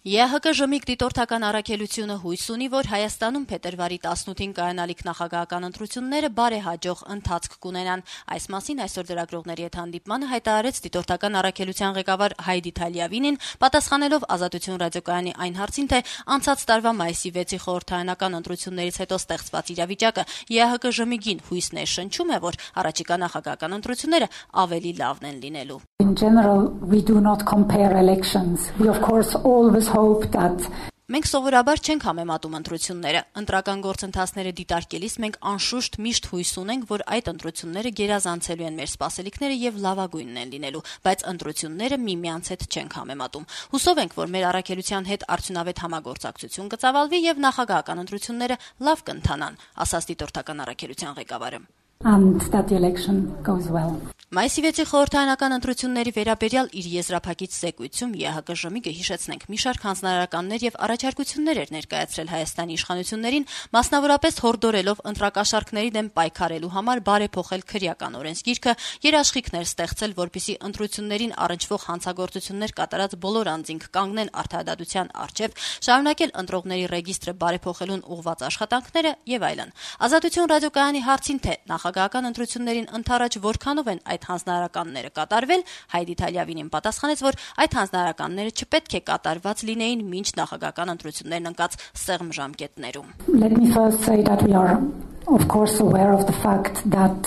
ԵՀԿ ժմիկ դիտորդական առաքելությունը հույս ունի, որ Հայաստանում փետրվարի 18-ին կայանալիք նախագահական ընտրությունները բարեհաջող ընթացք կունենան։ Այս մասին այսօր լրագրողների հետ հանդիպմանը հայտարարեց դիտորդական առաքելության ղեկավար Հայդի Թալիավինին, պատասխանելով Ազատություն ռադիոկայանի այն հարցին, թե անցած տարվա մայիսի 6-ի խորհրդարանական ընտրություններից հետո ստեղծված իրավիճակը ԵՀԿ ժմիկին հույս ներշնչում է, որ առաջիկա նախագահական ընտրությունները ավելի լավն են լինելու։ In general, we do not compare elections. We of course always hope that Մենք սովորաբար չենք համեմատում ընտրությունները։ Ընտրական գործընթացները դիտարկելիս մենք անշուշտ միշտ հույս ունենք, որ այդ ընտրությունները գերազանցելու են մեր սպասելիքները եւ լավագույնն են լինելու, բայց ընտրությունները միմյանց հետ չենք համեմատում։ Հուսով ենք, որ մեր առաքելության հետ արդյունավետ համագործակցություն կծավալվի եւ նախագահական ընտրությունները լավ կընթանան, ասաց դիտորդական առաքելության ղեկավարը։ and that the election goes well. Մայիսի 6-ի խորհրդարանական ընտրությունների վերաբերյալ իր եզրափակիչ զեկույցում ԵՀԿ ժմիկը հիշեցնենք մի շարք հանձնարարականներ եւ առաջարկություններ էր ներկայացրել Հայաստանի իշխանություններին, մասնավորապես հորդորելով ընտրակաշառքների դեմ պայքարելու համար բարեփոխել քրեական օրենսգիրքը, երաշխիքներ ստեղծել, որպիսի ընտրություններին առնչվող հանցագործություններ կատարած բոլոր անձինք կանգնեն արդարադատության առջև, շարունակել ընտրողների ռեգիստրը բարեփոխելուն ուղղված աշխատանքները եւ այլն։ Ազատություն ռադիոկայանի հարցին թե նախագահական ընտրություններին ընդառաջ որքանով են այդ հանձնարարականները կատարվել, Հայդի Թալիավինին պատասխանեց, որ այդ հանձնարարականները չպետք է կատարված լինեին մինչ նախագահական ընտրություններն ընկած սեղմ ժամկետներում։ Let me first say that we are of course aware of the fact that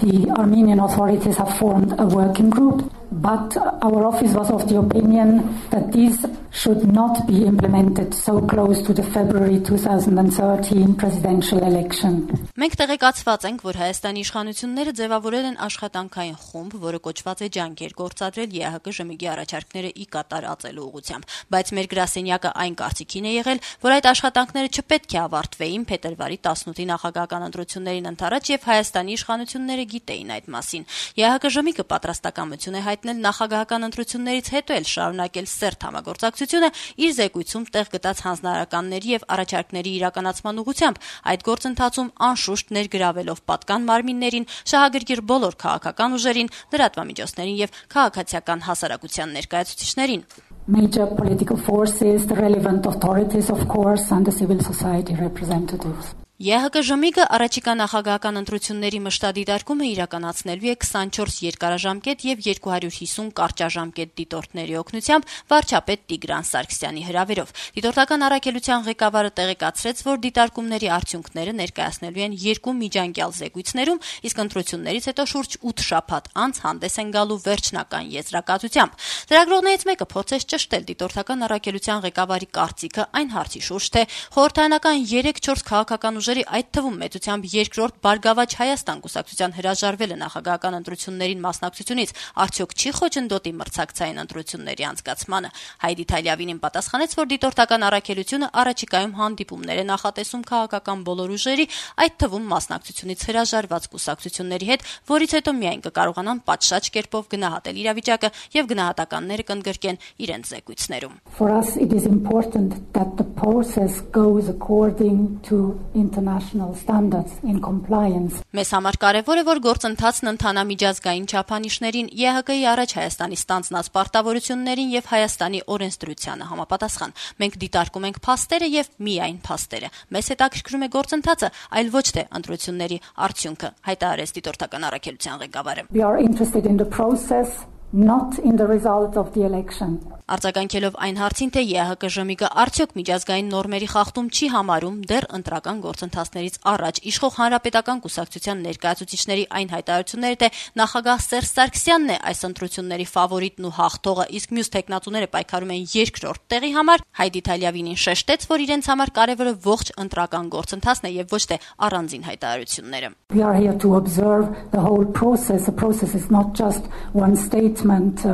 the Armenian authorities have formed a working group, but our office was of the opinion that these should not be implemented so close to the February 2013 presidential election. Մենք տեղեկացված ենք, որ Հայաստանի իշխանությունները ձևավորել են աշխատանքային խումբ, որը կոչված է ջանքեր գործադրել ԵՀԿ ժմիկի առաջարկները ի կատար ածելու ուղղությամբ, բայց մեր գրասենյակը այն կարծիքին է եղել, որ այդ աշխատանքները չպետք է ավարտվեին փետրվարի 18-ի նախագահական ընտրություններին ընդառաջ եւ Հայաստանի իշխանությունները գիտեին այդ մասին։ ԵՀԿ ժմիկը պատրաստակամություն է հայտնել նախագահական ընտրություններից հետո էլ շարունակել սերտ համագործակցությունը իր զեկույցում տեղ գտած հանձնարարականների եւ առաջարկների իրականացման ուղղությամբ, այդ գործընթացում անշուշտ ներգրավելով պատկան մարմիններին, շահագրգիռ բոլոր քաղաքական ուժերին, լրատվամիջոցներին եւ քաղաքացիական հասարակության ներկայացուցիչներին։ Major political forces, the relevant authorities of course, and the civil society representatives. ԵՀԿ ժմիկը առաջիկա նախագահական ընտրությունների մշտադիտարկումը իրականացնելու է 24 երկարաժամկետ եւ 250 կարճաժամկետ դիտորդների օգնությամբ վարչապետ Տիգրան Սարգսյանի հրավերով։ Դիտորդական առաքելության ղեկավարը տեղեկացրեց, որ դիտարկումների արդյունքները ներկայացնելու են երկու միջանկյալ զեկույցներում, իսկ ընտրություններից հետո շուրջ 8 շաբաթ անց հանդես են գալու վերջնական եզրակացությամբ։ Լրագրողներից մեկը փորձեց ճշտել դիտորդական առաքելության ղեկավարի կարծիքը այն հարցի շուրջ, թե խորհրդարանական 3-4 քաղաքական ուժերի, այդ թվում մեծությամբ երկրորդ Բարգավաճ Հայաստան կուսակցության հրաժարվելը նախագահական ընտրություններին մասնակցությունից արդյոք չի խոչընդոտի մրցակցային ընտրությունների անցկացմանը։ Հայդի Թալիավինին պատասխանեց, որ դիտորդական առաքելությունը առաջիկայում հանդիպումներ է նախատեսում քաղաքական բոլոր ուժերի, այդ թվում մասնակցությունից հրաժարված կուսակցությունների հետ, որից հետո միայն կկարողանան պատշաճ կերպով գնահատել իրավիճակը եւ գնահատականները կընդգրկեն իրենց զեկույցներում։ For us it is important that the process goes according to international standards in compliance. Մեզ համար կարևոր է, որ գործընթացն ընթանա միջազգային չափանիշներին, ԵՀԿ-ի առաջ Հայաստանի ստանձնած պարտավորություններին եւ Հայաստանի օրենսդրությանը համապատասխան։ Մենք դիտարկում ենք փաստերը եւ միայն փաստերը։ Մեզ հետաքրքրում է գործընթացը, այլ ոչ թե ընտրությունների արդյունքը, հայտարարեց դիտորդական առաքելության ղեկավարը։ We are interested in the process, not in the result of the election. Արձագանքելով այն հարցին, թե ԵՀԿ ժմիկը արդյոք միջազգային նորմերի խախտում չի համարում դեռ ընտրական գործընթացներից առաջ իշխող հանրապետական կուսակցության ներկայացուցիչների այն հայտարարությունները, թե նախագահ Սերժ Սարգսյանն է այս ընտրությունների ֆավորիտն ու հաղթողը, իսկ մյուս տեխնատուները պայքարում են երկրորդ տեղի համար, Հայդի Թալիավինին շեշտեց, որ իրենց համար կարևորը ողջ ընտրական գործընթացն է եւ ոչ թե առանձին հայտարարությունները։ We are here to observe the whole process. The process is not just one statement.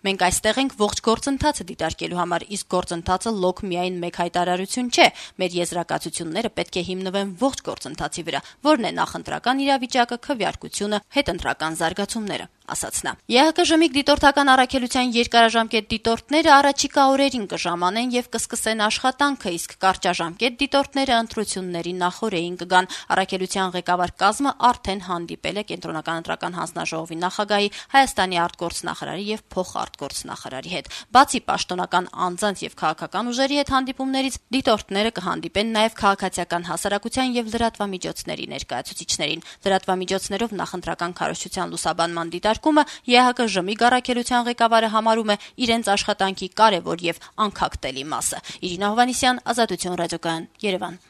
Մենք այստեղ ենք ողջ գործընթացը դիտարկելու համար, իսկ գործընթացը լոկ միայն մեկ հայտարարություն չէ։ Մեր եզրակացությունները պետք է հիմնվեն ողջ գործընթացի վրա, որն է նախընտրական իրավիճակը, քվեարկությունը, հետընտրական զարգացումները, ասաց նա։ ԵՀԿ դիտորդական առաքելության երկարաժամկետ դիտորդները առաջիկա օրերին կժամանեն եւ կսկսեն աշխատանքը, իսկ կարճաժամկետ դիտորդները ընտրությունների նախօրեին կգան։ Առաքելության ղեկավար կազմը արդեն հանդիպել է Կենտրոնական ընտրական հանձնաժողովի նախագահի, Հայաստանի արտգործնախարարի եւ փոխարտգործնախարարի հետ։ Բացի պաշտոնական անձանց եւ քաղաքական ուժերի հետ հանդիպումներից, դիտորդները կհանդիպեն նաեւ քաղաքացիական հասարակության եւ լրատվամիջոցների ներկայացուցիչներին։ Լրատվամիջոցներով նախընտրական քարոզչության լուսաբանման դիտարկումը ԵՀԿ առաքելության ղեկավարը համարում է իրենց աշխատանքի կարևոր եւ անքակտելի մասը։ Իրինա Հովհաննիսյան, Ազատություն ռադիոկայան, Երևան։